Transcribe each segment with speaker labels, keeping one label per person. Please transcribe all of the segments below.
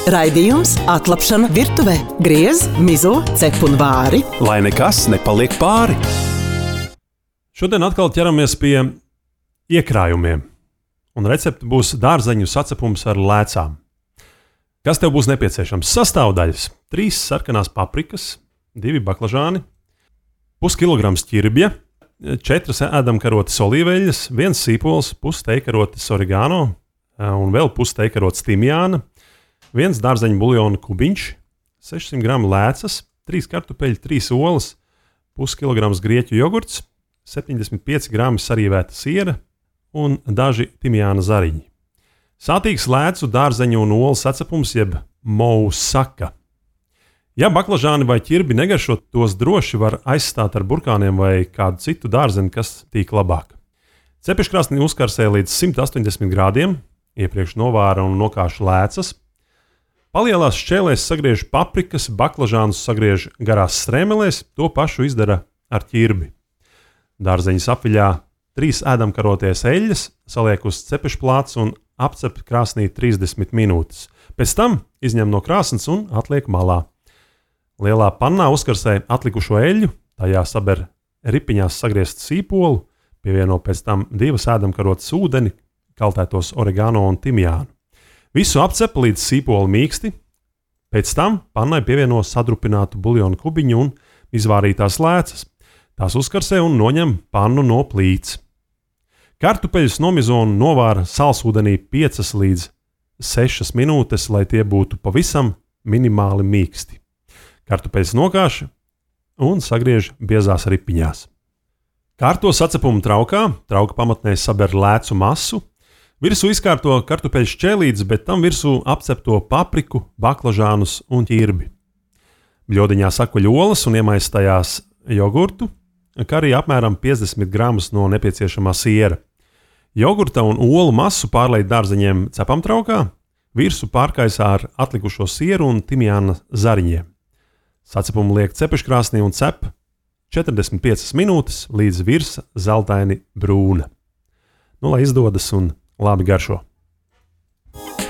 Speaker 1: Raidījums Atlapšana virtuvē. Griez, mizo, cep un vāri.
Speaker 2: Lai nekas nepaliek pāri. Šodien atkal ķeramies pie iekrājumiem. Un recepte būs dārzeņu sacepums ar lēcām. Kas tev būs nepieciešams? Sastāvdaļas: 3 sarkanās paprikas, 2 baklažāni, puskilograms ķirbja, 4 ēdamkarotes olīveļas, 1 sīpols, pusteikarotes oregano un vēl pusteikarotes timjāna, 1 dārzeņu buljona kubiņš, 600 gramu lēcas, 3 kartupeļi, 3 olas, puskilograms grieķu jogurts, 75 grami sarīvēta siera un daži timjāna zariņi. Sātīgs lēcu, dārzeņu un olu sacepums jeb mousaka. Ja baklažāni vai ķirbi negaršo, tos droši var aizstāt ar burkāniem vai kādu citu dārzeni, kas tīk labāk. Cepeškrāsnī uzkarsē līdz 180 grādiem, iepriekš novāra un nokāšu lēcas. Palielās šķēlēs sagriež paprikas, baklažānus sagriež garās strēmelēs, to pašu izdara ar ķirbi. Dārzeņus apviļā 3 ēdamkaroties eļļas, saliek uz cepešplāts un apcep krāsnī 30 minūtes. Pēc tam izņem no krāsnes un atliek malā. Lielā pannā uzkarsē atlikušo eļļu, tajā saber ripiņās sagriezt sīpolu, pievieno pēc tam 2 ēdamkarotes ūdeni, kaltētos oregano un timjānu. Visu apcep līdz sīpoli mīksti, pēc tam pannai pievieno sadrupinātu buljonu kubiņu un izvārītās lēcas. Tās uzkarsē un noņem pannu no plīts. Kartupeļus nomizo un novāra salsūdenī 5 līdz 6 minūtes, lai tie būtu pavisam minimāli mīksti. Kartupeļus nokāš un sagriež biezās ripiņās. Kārto sacepumu traukā, trauka pamatnē saber lēcu masu, virsū izkārto kartupeļu šķēlītes, bet tam virsū apcepto papriku, baklažānus un ķirbi. Bļodiņā sakuļ olas un iemaisa tajās jogurtu, kā arī apmēram 50 gramus no nepieciešamā siera. Jogurta un olu masu pārlej dārzeņiem cepamtraukā, virsū pārkaisā ar atlikušo sieru un timjāna zariņiem. Sacepumu liek cepeškrāsnī un cep 45 minūtes līdz virsa zeltaini brūna. Lai izdodas un labi garšo.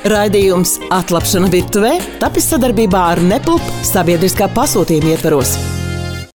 Speaker 1: Raidījums Atlapšana virtuvē tapis sadarbībā ar Nepulp sabiedriskā pasūtījuma ietvaros.